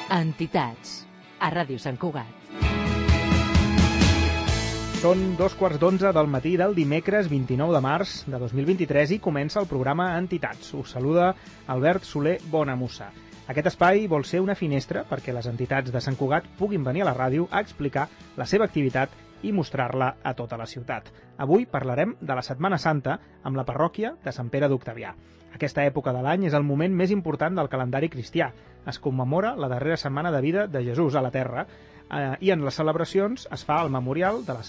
Entitats, a Ràdio Sant Cugat. Són 2:15 del matí del dimecres 29 de març de 2023 i comença el programa Entitats. Us saluda Albert Soler Bonamussa. Aquest espai vol ser una finestra perquè les entitats de Sant Cugat puguin venir a la ràdio a explicar la seva activitat i mostrar-la a tota la ciutat. Avui parlarem de la Setmana Santa amb la parròquia de Sant Pere d'Octavià. Aquesta època de l'any és el moment més important del calendari cristià. Es commemora la darrera setmana de vida de Jesús a la Terra i en les celebracions es fa el memorial de la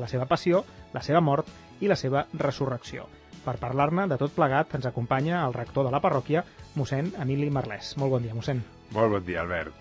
seva passió, la seva mort i la seva resurrecció. Per parlar-ne de tot plegat ens acompanya el rector de la parròquia, mossèn Emili Marlès. Molt bon dia, mossèn. Molt bon dia, Albert.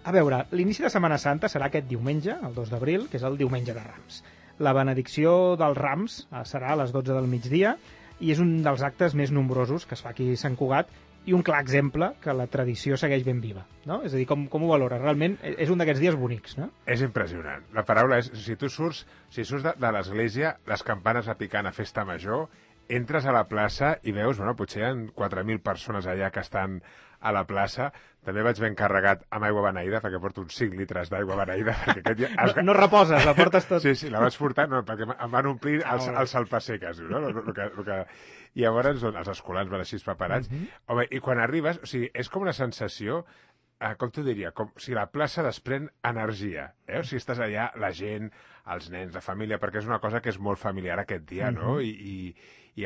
A veure, l'inici de Setmana Santa serà aquest diumenge, el 2 d'abril, que és el diumenge de Rams. La benedicció dels Rams serà a les 12 del migdia i és un dels actes més nombrosos que es fa aquí a Sant Cugat i un clar exemple que la tradició segueix ben viva, no? És a dir, com ho valores? Realment és un d'aquests dies bonics, no? És impressionant. La paraula és, si surts de l'església, les campanes a picant a festa major, entres a la plaça i veus, bueno, potser hi ha 4.000 persones allà que estan a la plaça. També vaig ben carregat amb aigua beneïda, perquè porto uns 5 litres d'aigua beneïda. Perquè aquest dia... No reposes, la portes tot. Sí, la vaig portar, no, perquè em van omplir els salpasseques, no? I llavors els escolans van així preparats. Home, i quan arribes, o sigui, és com una sensació, com t'ho diria, com si la plaça desprèn energia, O sigui, estàs allà, la gent, els nens, la família, perquè és una cosa que és molt familiar aquest dia, no? I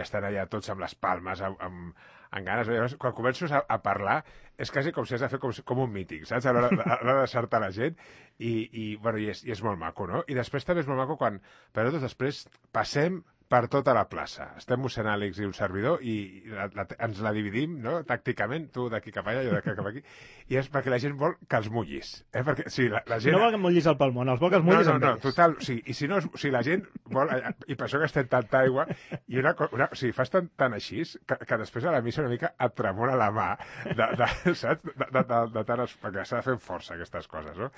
estan allà tots amb les palmes, amb ganes. Llavors, quan comences a parlar, és quasi com si has de fer com un míting, saps? A l'hora de deixar-te la gent, i és molt maco, no? I després també és molt maco quan, però després passem per tota la plaça. Estem mossèn Àlex i un servidor i ens la dividim, no?, tàcticament, tu d'aquí cap allà, jo d'aquí cap aquí, i és perquè la gent vol que els mullis. Perquè si la gent... No vol que mullis el palmón, els vol que els mullis amb ells. No, total, sí, i si no, si la gent vol, i per això gastem tanta aigua, i o sigui, fas tant així, que després a la missa una mica et tremora la mà, saps? De tant, perquè s'ha de fer amb força aquestes coses, no?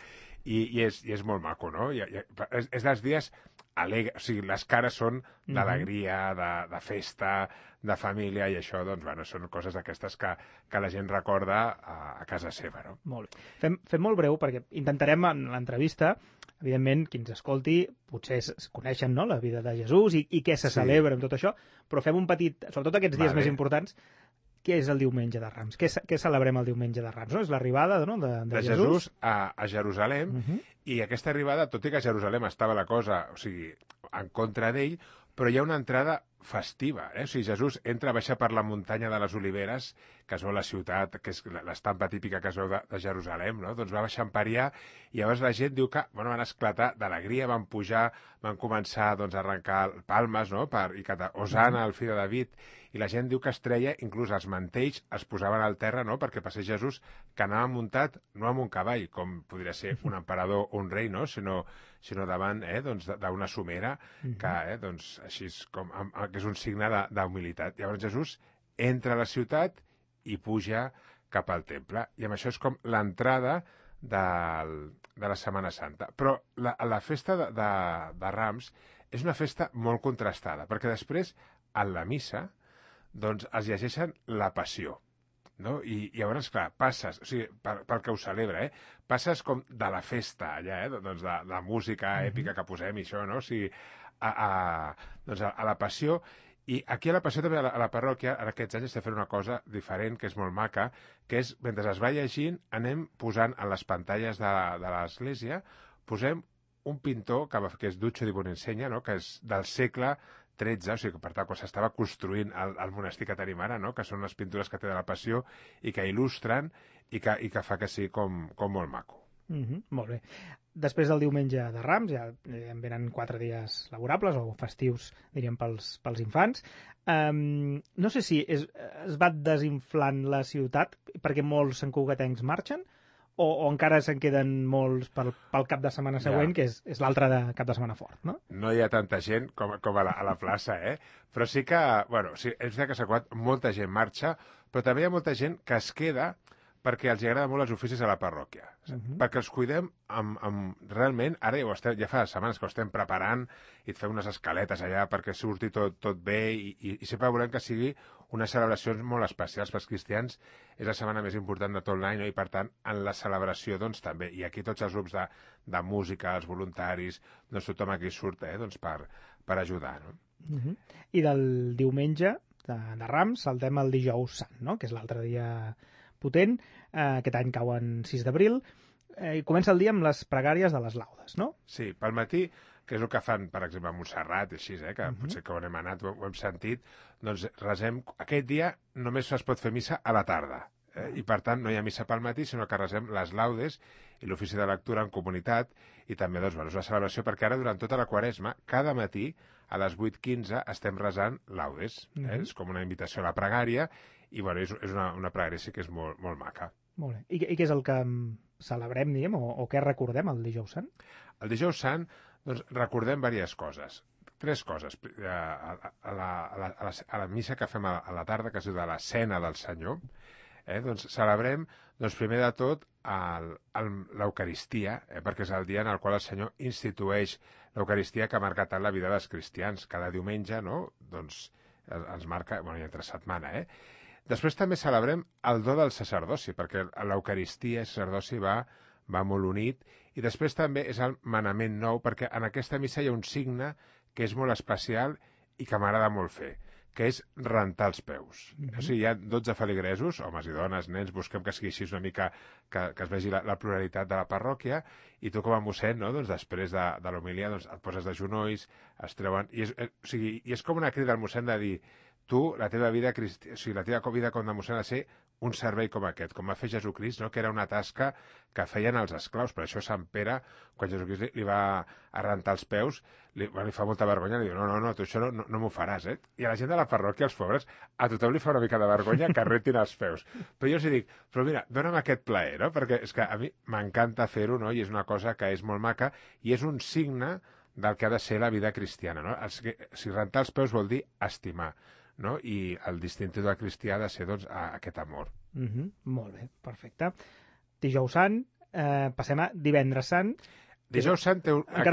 I és molt maco, no? És dels dies alegres, o sigui, les cares són d'alegria, de festa, de família, i això, doncs, bueno, són coses d'aquestes que la gent recorda a casa seva, no? Molt bé. Fem molt breu, perquè intentarem en l'entrevista, evidentment, qui ens escolti, potser es coneixen, no?, la vida de Jesús i què se celebra amb tot això, però fem un petit, sobretot aquests dies més importants. Què és el diumenge de Rams? Què celebrem el diumenge de Rams? No? És l'arribada, no?, de Jesús a Jerusalem, i aquesta arribada, tot i que a Jerusalem estava la cosa, o sigui, en contra d'ell, però hi ha una entrada festiva, O sigui, Jesús baixa per la muntanya de les Oliveres, que es veu la ciutat, que és l'estampa típica que es veu de Jerusalem, no? Doncs va baixant per allà, i llavors la gent diu que, bueno, van esclatar d'alegria, van pujar, van començar, doncs, a arrencar palmes, no?, i cantar Hosana, el fill de David, i la gent diu que es treia, inclús els mantells es posaven al terra, no?, perquè passés Jesús, que anava muntat no amb un cavall, com podria ser un emperador o un rei, no?, sinó davant, doncs, d'una somera, que, doncs, així que és un signe d'humilitat. Llavors Jesús entra a la ciutat i puja cap al temple. I amb això és com l'entrada de la Setmana Santa. Però la festa de Rams és una festa molt contrastada, perquè després, en la missa, doncs es llegeixen la Passió, no? I llavors, clar, passes, o sigui, pel que ho celebra, passes com de la festa allà, doncs de música èpica que posem i això, no? O sigui, doncs a la Passió. I aquí a la Passió també, a la parròquia, en aquests anys estem fent una cosa diferent, que és molt maca, que és, mentre es va llegint, anem posant en les pantalles de l'església, posem un pintor que és Duccio di Buon'insegna, no?, que és del segle XIII, o sigui, per tant, quan s'estava construint el monestir que tenim ara, no?, que són les pintures que té de la Passió i que il·lustren i que fa que sigui com molt maco. Molt bé. Després del diumenge de Rams, ja en venen 4 dies laborables o festius, diríem, pels infants. No sé si es va desinflant la ciutat perquè molts santcugatencs marxen o encara se'n queden molts pel cap de setmana següent, que és l'altre cap de setmana fort, no? No hi ha tanta gent com a la plaça, Però sí que, bueno, sí, és veritat que s'ha acabat, molta gent marxa, però també hi ha molta gent que es queda perquè els agrada molt els oficis a la parròquia. Perquè els cuidem realment, ara ja fa setmanes que ho estem preparant i et fem unes escaletes allà perquè surti tot bé i sempre volem que sigui unes celebracions molt especials pels cristians. És la setmana més important de tot l'any, no? I per tant, en la celebració, doncs, també. I aquí tots els grups de música, els voluntaris, doncs tothom aquí surt, doncs, per ajudar, no? I del diumenge de Rams saltem al dijous sant, no? Que és l'altre dia potent. Aquest any cauen 6 d'abril. I comença el dia amb les pregàries de les laudes, no? Sí, pel matí, que és el que fan, per exemple, a Montserrat, així, que potser que on hem anat ho hem sentit, doncs resem... Aquest dia només es pot fer missa a la tarda, i per tant no hi ha missa pel matí, sinó que resem les laudes i l'ofici de lectura en comunitat, i també, doncs, és la celebració, perquè ara, durant tota la Quaresma, cada matí, a les 8:15, estem resant laudes. És com una invitació a la pregària, i bueno, és una pregària sí que és molt, molt maca. Molt bé. I què és el que celebrem, diguem, o què recordem el dijous sant? El dijous sant, doncs, recordem diverses coses. 3 coses. A la missa que fem a la tarda, que es diu de la Cena del Senyor, doncs celebrem, doncs, primer de tot, l'Eucaristia, perquè és el dia en el qual el Senyor institueix l'Eucaristia que ha marcat tant la vida dels cristians. Cada diumenge, no?, doncs, ens marca, bueno, i entre setmana, Després també celebrem el do del sacerdoci, perquè l'Eucaristia i el sacerdoci va molt unit, i després també és el manament nou, perquè en aquesta missa hi ha un signe que és molt especial i que m'agrada molt fer, que és rentar els peus. O sigui, hi ha 12 feligresos, homes i dones, nens, busquem que sigui així una mica, que es vegi la pluralitat de la parròquia, i tu com a mossèn, no?, doncs, després de l'homilia, doncs, et poses de genolls, es treuen... I és com una crida al mossèn de dir, tu, la teva vida com a mossèn ha de ser un servei com aquest, com va fer Jesucrist, no?, que era una tasca que feien els esclaus. Per això Sant Pere, quan Jesucrist li va rentar els peus, li fa molta vergonya, li diu, no, tu això no m'ho faràs, I a la gent de la parròquia, els pobres, a tothom li fa una mica de vergonya que rentin els peus. Però jo els dic, però mira, dona'm aquest plaer, no?, perquè és que a mi m'encanta fer-ho, no?, i és una cosa que és molt maca, i és un signe del que ha de ser la vida cristiana, no? Si rentar els peus vol dir estimar, no? I el distintiu del cristià ha de ser, doncs, aquest amor. Molt bé, perfecte. Dijous sant, passem a divendres sant. Dijous sant té una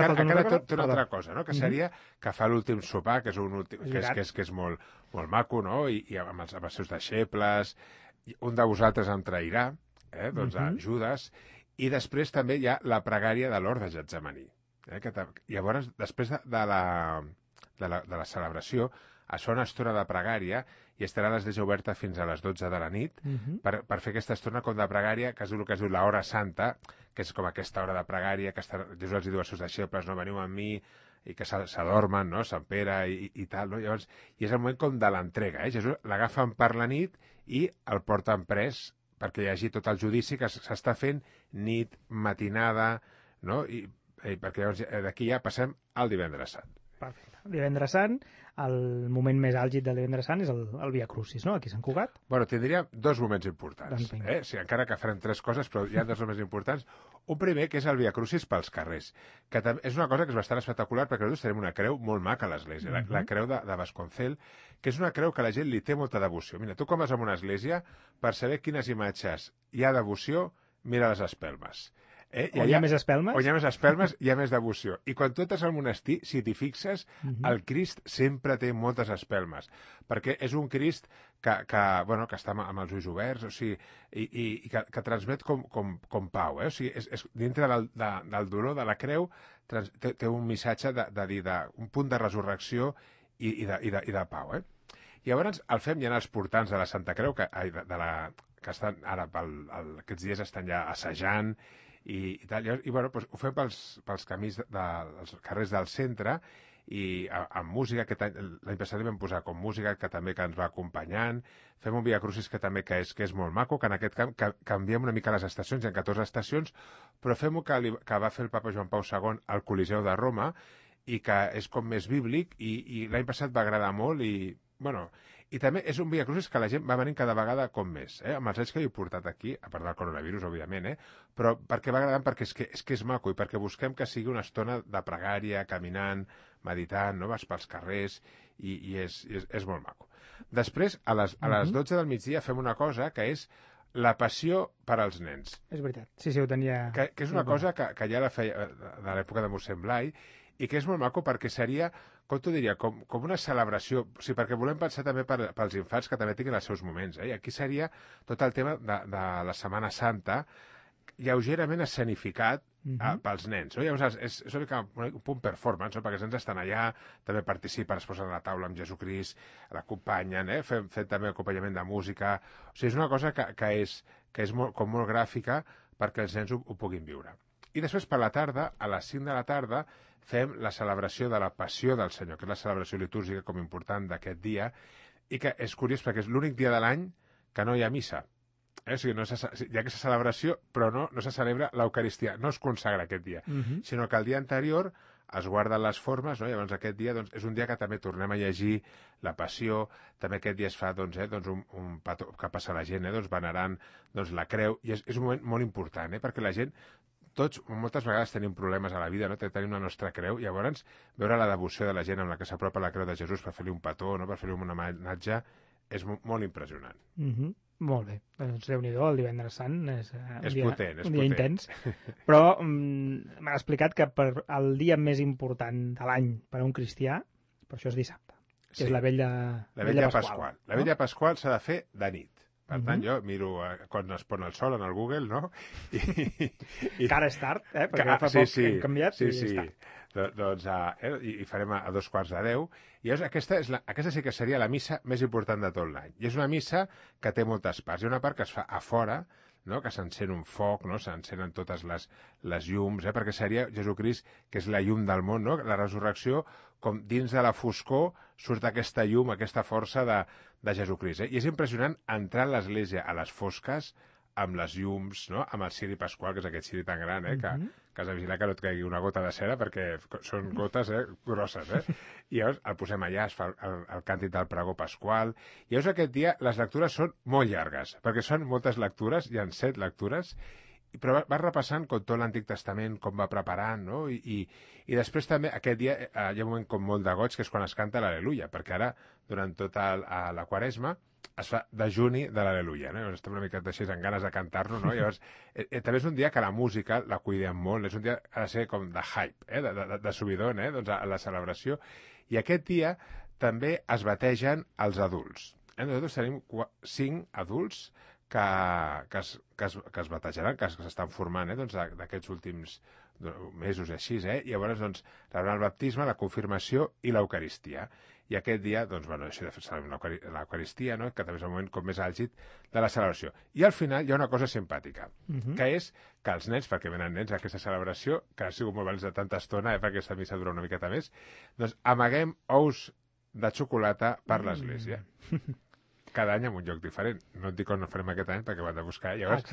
altra cosa, no?, que seria que fa l'últim sopar, que és molt, molt maco, no?, i amb els seus deixebles, un de vosaltres em trairà, doncs Judes, i després també hi ha la pregària de l'hort de Getsemaní. Llavors, després de la celebració, es fa una estona de pregària i estarà a l'església oberta fins a les 12 de la nit per fer aquesta estona com de pregària, que és el que es diu l'hora santa, que és com aquesta hora de pregària que Jesús els diu als seus deixebles, no, veniu amb mi, i que s'adormen, no?, Sant Pere i tal, no? Llavors, i és el moment com de l'entrega, Jesús l'agafen per la nit i el porten pres perquè hi hagi tot el judici que s'està fent nit, matinada, no?, i perquè llavors d'aquí ja passem al divendres sant. Perfecte. Divendres sant, el moment més àlgid del divendres sant és el Via Crucis, no?, aquí a Sant Cugat. Bueno, tindria 2 moments importants, Sí, encara que farem 3 coses, però hi ha 2 moments importants. Un primer, que és el Via Crucis pels carrers, que és una cosa que és bastant espectacular, perquè nosaltres tenim una creu molt maca a l'església, la creu de Vasconcel, que és una creu que la gent li té molta devoció. Mira, tu com vas a una església, per saber quines imatges hi ha devoció, mira les espelmes. On hi ha més espelmes? On hi ha més espelmes, hi ha més devoció. I quan tu estàs al monestir, si t'hi fixes, el Crist sempre té moltes espelmes, perquè és un Crist que està amb els ulls oberts, o sigui, i que transmet com pau, O sigui, dintre del dolor de la creu té un missatge un punt de resurrecció i de pau, Llavors el fem ja en els portants de la Santa Creu, que estan ara, aquests dies estan ja assajant, i tal, i bueno, doncs ho fem pels camins dels carrers del centre i amb música, que l'any passat vam posar com música que també que ens va acompanyant, fem un Via Crucis que també que és molt maco, que en aquest camp canviem una mica les estacions, hi ha 14 estacions, però fem-ho que va fer el papa Joan Pau II al Coliseu de Roma i que és com més bíblic i l'any passat va agradar molt i també és un Via Crucis que la gent va venint cada vegada com més, amb els anys que he portat aquí, a part del coronavirus, òbviament, però perquè va agradant, perquè és que és maco i perquè busquem que sigui una estona de pregària, caminant, meditant, no? Vas pels carrers i és molt maco. Després, a les 12 del migdia fem una cosa que és la passió per als nens. És veritat, sí, ho tenia... Que és una cosa que ja la feia de l'època de mossèn Blai i que és molt maco perquè seria, com t'ho diria, com una celebració, o sigui, perquè volem pensar també pels infants que també tinguin els seus moments, I aquí seria tot el tema de la Setmana Santa, lleugerament escenificat pels nens. No? Llavors, és una mica un punt performance, perquè els nens estan allà, també participen, es posen a la taula amb Jesucrist, l'acompanyen, fem també acompanyament de música. O sigui, és una cosa que és molt gràfica perquè els nens ho puguin viure. I després, per la tarda, a les 5 de la tarda, fem la celebració de la Passió del Senyor, que és la celebració litúrgica com important d'aquest dia, i que és curiós perquè és l'únic dia de l'any que no hi ha missa. O sigui, hi ha aquesta celebració, però no se celebra l'Eucaristia, no es consagra aquest dia, sinó que el dia anterior es guarden les formes, no? Llavors aquest dia és un dia que també tornem a llegir la Passió, també aquest dia es fa un petó que passa la gent, venerant la creu, i és un moment molt important, perquè la gent, tots moltes vegades tenim problemes a la vida, no? Tenim la nostra creu, i llavors veure la devoció de la gent amb la que s'apropa la creu de Jesús per fer-li un petó, no? Per fer-li un homenatge, és molt impressionant. Molt bé, doncs Déu-n'hi-do, el divendres sant és un dia intens, però m'ha explicat que per el dia més important de l'any per a un cristià, per això és dissabte, que és la Vella Pasqual. La Vella Pasqual s'ha de fer de nit. Per tant, jo miro quan es pon el sol en el Google, no? Que ara és tard, perquè fa poc hem canviat i és tard. Doncs i farem a 2:45, i aquesta sí que seria la missa més important de tot l'any. I és una missa que té moltes parts. Hi ha una part que es fa a fora, no? Que s'encén un foc, no? S'encenen totes les llums, perquè seria Jesucrist, que és la llum del món, no? La resurrecció, com dins de la foscor surt aquesta llum, aquesta força de Jesucrist. I és impressionant entrar a l'església a les fosques, amb les llums, no? Amb el ciri pasqual, que és aquest ciri tan gran, que has de vigilar que no et caigui una gota de cera, perquè són gotes grosses, I llavors el posem allà, es fa el càntic del pregó pasqual, i llavors aquest dia les lectures són molt llargues, perquè són moltes lectures, hi ha 7 lectures, però vas repassant com tot l'Antic Testament, com va preparant, no? I després també aquest dia hi ha un moment com molt de goig, que és quan es canta l'Al·leluia, perquè ara, durant tota la Quaresma, es fa dejuni de l'Al·leluia, no? Llavors estem una mica així amb ganes de cantar-lo, no? Llavors, també és un dia que la música la cuidem molt, és un dia que ha de ser com de hype, de subidon, a la celebració, i aquest dia també es bategen els adults. Nosaltres tenim 5 adults que es batejaran, que s'estan formant d'aquests últims mesos així, i llavors rebran el baptisme, la confirmació i l'Eucaristia. I aquest dia, això de fer l'Eucaristia, no? Que també és el moment com més àlgid de la celebració. I al final hi ha una cosa simpàtica, que és que els nens, perquè venen nens a aquesta celebració, que ha sigut molt valents de tanta estona, perquè aquesta missa dura una miqueta més, doncs amaguem ous de xocolata per l'església. Cada any en un lloc diferent. No et dic on no farem aquest any perquè ho hem de buscar. Llavors,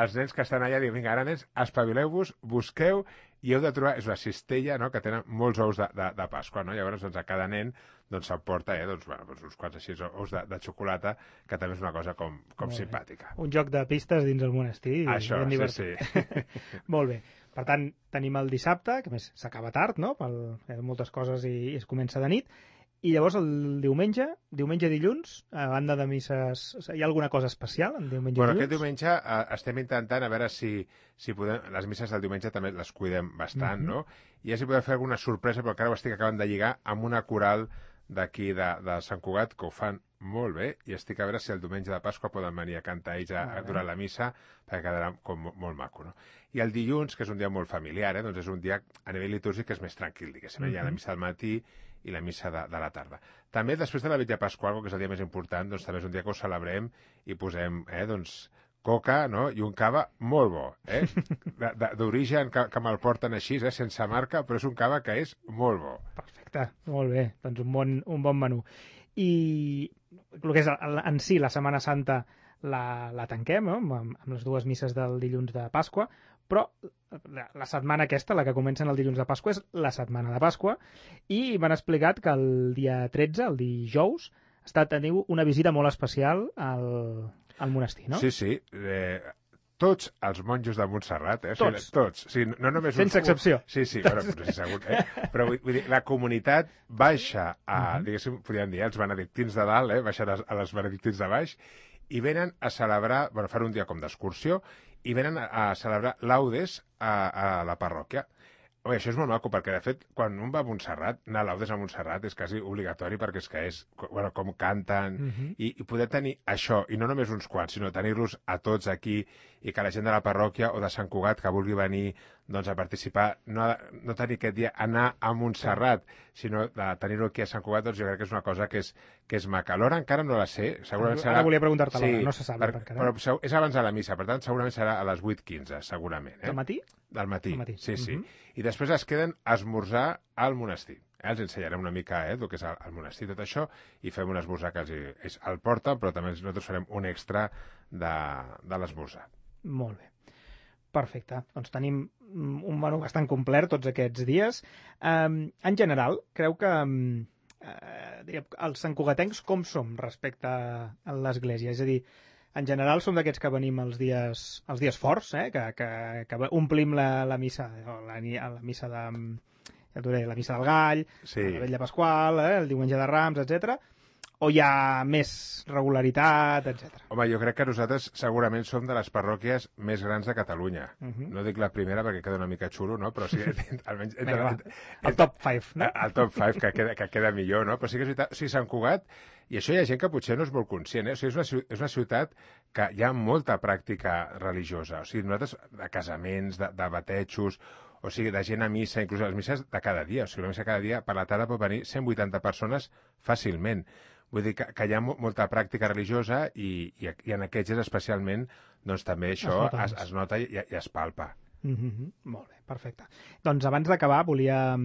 els nens que estan allà diuen, vinga, ara nens, espavileu-vos, busqueu, i heu de trobar, és una cistella, no?, que tenen molts ous de Pasqua, no? Llavors, a cada nen s'emporta uns quants així ous de xocolata, que també és una cosa com simpàtica. Un joc de pistes dins el monestir. Això, sí. Molt bé. Per tant, tenim el dissabte, que a més s'acaba tard, no?, per moltes coses i es comença de nit. I llavors el diumenge, dilluns, a banda de misses, hi ha alguna cosa especial en diumenge i dilluns? Aquest diumenge estem intentant a veure si podem... Les misses del diumenge també les cuidem bastant, no? I ja si podem fer alguna sorpresa, però encara ho estic acabant de lligar amb una coral d'aquí de Sant Cugat, que ho fan molt bé, i estic a veure si el diumenge de Pasqua poden venir a cantar ells durant la missa, perquè quedarà com molt maco, no? I el dilluns, que és un dia molt familiar, doncs és un dia a nivell litúrgic que és més tranquil, diguéssim. Hi ha la missa al matí i la missa de la tarda. També després de la Vetlla Pasqual, que és el dia més important, doncs també és un dia que ho celebrem i posem coca, no?, i un cava molt bo, d'origen, que me'l porten així, sense marca, però és un cava que és molt bo. Perfecte, molt bé, doncs un bon menú. I el que és en si la Setmana Santa la tanquem, no?, amb les dues misses del dilluns de Pasqua, però la setmana aquesta, la que comença el dilluns de Pasqua, és la setmana de Pasqua, i m'han explicat que el dia 13, el dijous, teniu una visita molt especial al monestir, no? Sí. Tots els monjos de Montserrat, tots. O sigui, no només sense excepció. Sí, bueno, potser segur, però vull dir, la comunitat baixa diguéssim, podríem dir, els benedictins de dalt, baixen a les benedictins de baix, i venen a celebrar, fan un dia com d'excursió, i venen a celebrar laudes a la parròquia. Home, això és molt maco, perquè, de fet, quan un va a Montserrat, anar a laudes a Montserrat és quasi obligatori, perquè és que és, bueno, com canten, i poder tenir això, i no només uns quants, sinó tenir-los a tots aquí, i que la gent de la parròquia o de Sant Cugat que vulgui venir doncs, a participar, no tenir aquest dia anar a Montserrat, sinó de tenir-ho aquí a Sant Cugat, doncs jo crec que és una cosa que és maca. L'hora encara no la sé, segurament serà... Ara volia preguntar-te l'hora, no se sap encara. Però és abans de la missa, per tant, segurament serà a les 8:15, segurament. Del matí? Del matí, sí. I després es queden a esmorzar al monestir. Els ensenyarem una mica el que és el monestir, tot això, i fem un esmorzar que ells el porten, però també nosaltres farem un extra de l'esmorzar. Molt bé. Perfecte. Doncs tenim un menú bastant complet tots aquests dies. En general, creu que els santcugatencs com som respecte a l'Església? És a dir, en general som d'aquests que venim els dies forts, que omplim la missa, la missa de... Ja t'ho diré, la missa del Gall, la Vetlla Pasqual, el diumenge de Rams, etc. O hi ha més regularitat, etc. Home, jo crec que nosaltres segurament som de les parròquies més grans de Catalunya. No dic la primera perquè queda una mica xulo, no? Però sí, almenys... El top 5, no? El top 5, que queda millor, no? Però sí que és veritat, o sigui, Sant Cugat, i això hi ha gent que potser no és molt conscient, O sigui, és una ciutat que hi ha molta pràctica religiosa. O sigui, nosaltres, de casaments, de batejos, o sigui, de gent a missa, inclús les misses de cada dia. O sigui, la missa cada dia, per la tarda pot venir 180 persones fàcilment. Vull dir que hi ha molta pràctica religiosa i en aquests dies especialment doncs també això es nota i es palpa. Molt bé, perfecte. Doncs abans d'acabar volia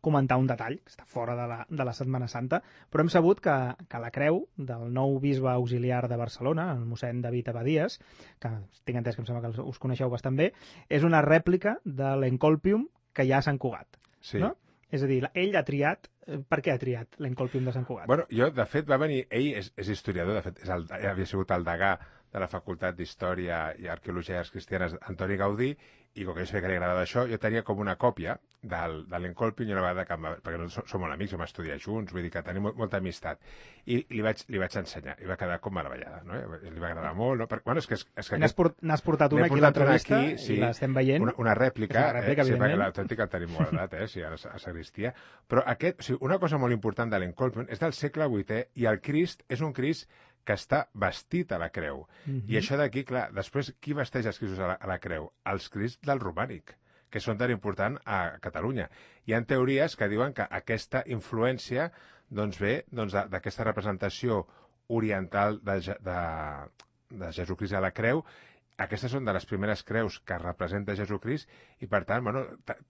comentar un detall, que està fora de la Setmana Santa, però hem sabut que la creu del nou bisbe auxiliar de Barcelona, el mossèn David Abadías, que tinc entès que em sembla que us coneixeu bastant bé, és una rèplica de l'Encolpium que hi ha a Sant Cugat. Sí. No? És a dir, ell ha triat... Per què ha triat l'Encolpium de Sant Cugat? Bueno, de fet, va venir... Ell és historiador, de fet, havia sigut el degà de la Facultat d'Història i Arqueologia Cristianes Antoni Gaudí, i com que jo sabia que li agradava això, jo tenia com una còpia de l'Encolpium i una vegada perquè no som molt amics, vam estudiar junts, vull dir que tenim molta amistat. I li vaig ensenyar, i va quedar com meravellada, no? Li va agradar molt, no? Bueno, és que n'has portat una aquí a l'entrevista i l'estem veient. Una rèplica, sí, perquè l'autèntica el tenim guardat, sí, a sagristia. Però una cosa molt important de l'Encolpium és del segle VIII i el Crist és un Crist que està vestit a la creu. I això d'aquí, clar, després, qui vesteix els Cristos a la creu? Els Crists del romànic, que són tan important a Catalunya. Hi ha teories que diuen que aquesta influència doncs, ve d'aquesta representació oriental de Jesucrist a la creu. Aquestes són de les primeres creus que representa Jesucrist i, per tant, bueno,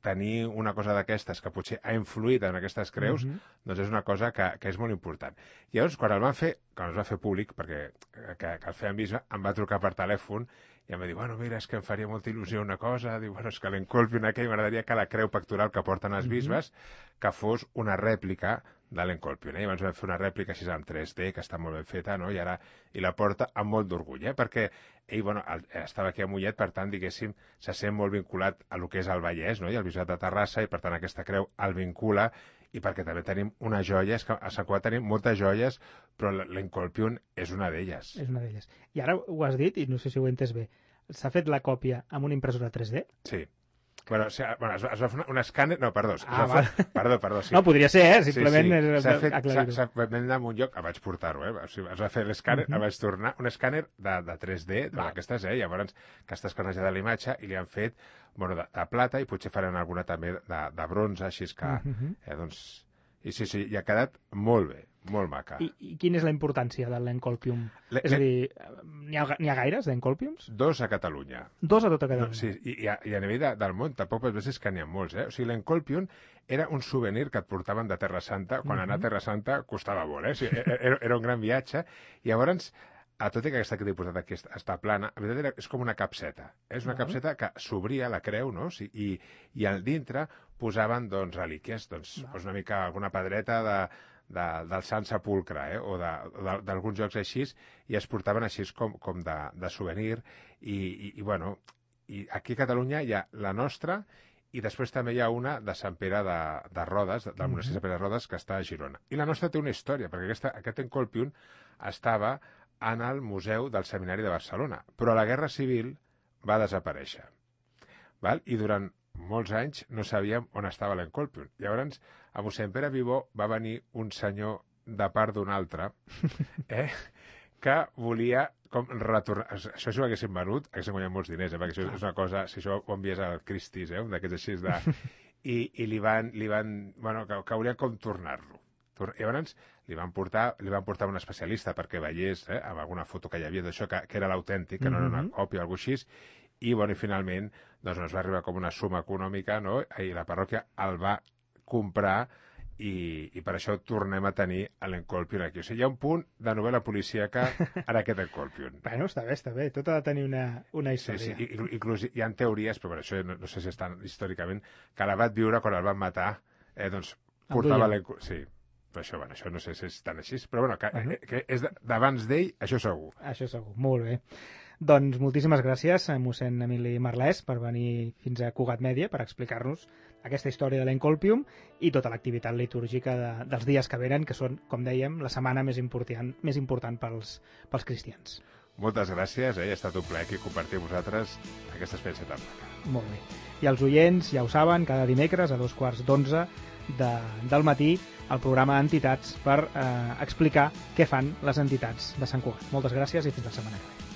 tenir una cosa d'aquestes que potser ha influït en aquestes creus, doncs és una cosa que és molt important. I llavors, quan es va fer públic, perquè que el feien bisbe, em va trucar per telèfon i em va dir, bueno, mira, és que em faria molta il·lusió una cosa, diu, bueno, és que l'Encolpium aquell m'agradaria que la creu pectoral que porten els bisbes que fos una rèplica de l'Encolpium. I abans vam fer una rèplica així en 3D, que està molt ben feta, no? I la porta amb molt d'orgull, perquè ell, bueno, estava aquí a Mollet, per tant, diguéssim, se sent molt vinculat a lo que és el Vallès, no? I el Bisbat de Terrassa, i per tant aquesta creu el vincula, i perquè també tenim una joia, és que a Sant Cugat tenim moltes joies, però l'Encolpium és una d'elles. És una d'elles. I ara ho has dit, i no sé si ho he entès bé, s'ha fet la còpia amb una impressora 3D? Sí. Bueno, es va fer un escàner... No, perdó. Perdó, sí. No, podria ser, simplement... Sí. S'ha fet en un lloc... Vaig portar-ho, O sigui, es va fer l'escàner, vaig tornar un escàner de 3D, d'aquestes, Llavors, que està escanejada la imatge i li han fet, bueno, de plata i potser faran alguna també de bronze, així que, doncs... I sí, i ha quedat molt bé, molt maca. I quina és la importància de l'Encolpium? És a dir, n'hi ha gaires d'Encolpiums? 2 a Catalunya. 2 a tota Catalunya? No, sí, i a nivell del món tampoc és que n'hi ha molts, O sigui, l'Encolpium era un souvenir que et portaven de Terra Santa, quan anar a Terra Santa costava molt, O sigui, era un gran viatge, i llavors... tot i que aquesta que t'he posat aquí està plana, en veritat és com una capseta. És una capseta que s'obria la creu, no? I al dintre posaven, doncs, relíquies, doncs, una mica alguna pedreta del Sant Sepulcre, o d'alguns jocs així, i es portaven així com de souvenir. I bueno, i aquí a Catalunya hi ha la nostra, i després també hi ha una de Sant Pere de Rodes, del monestir de Sant Pere de Rodes, que està a Girona. I la nostra té una història, perquè aquest Encolpium estava en el Museu del Seminari de Barcelona, però la Guerra Civil va desaparèixer. I durant molts anys no sabíem on estava l'Encolpium. Llavors, a mossèn Pere Vivó va venir un senyor de part d'un altre, que volia com retornar... Això si ho haguessin venut, haguessin guanyat molts diners, perquè això és una cosa... Si això ho envies al Christie's, un d'aquests així de... I li van bueno, que volien com tornar-lo. Llavors li van portar un especialista perquè veiés, amb alguna foto que hi havia d'això, que era l'autèntic, que no era una còpia o alguna cosa així, i bueno, i finalment doncs, ens va arribar com una suma econòmica, no? I la parròquia el va comprar i per això tornem a tenir l'Encolpium aquí. O sigui, hi ha un punt de novel·la policíaca en aquest Encolpium. Bueno, està bé. Tot ha de tenir una història. Sí. Inclús hi ha teories, però per això no sé si estan històricament, que la va viure quan el van matar, doncs portava l'Encolpium. Sí, però això no sé si és tan així, però bueno, que és d'abans d'ell, això segur. Això segur, molt bé. Doncs moltíssimes gràcies a mossèn Emili Marlès per venir fins a Cugat Mèdia per explicar-nos aquesta història de l'Encolpium i tota l'activitat litúrgica dels dies que venen, que són, com dèiem, la setmana més important pels cristians. Moltes gràcies, ha estat un plaer aquí compartir amb vosaltres aquesta experiència tan maca. Molt bé. I els oients ja ho saben, cada dimecres a 11:15 del matí el programa Entitats per explicar què fan les entitats de Sant Cugat. Moltes gràcies i fins la setmana que ve.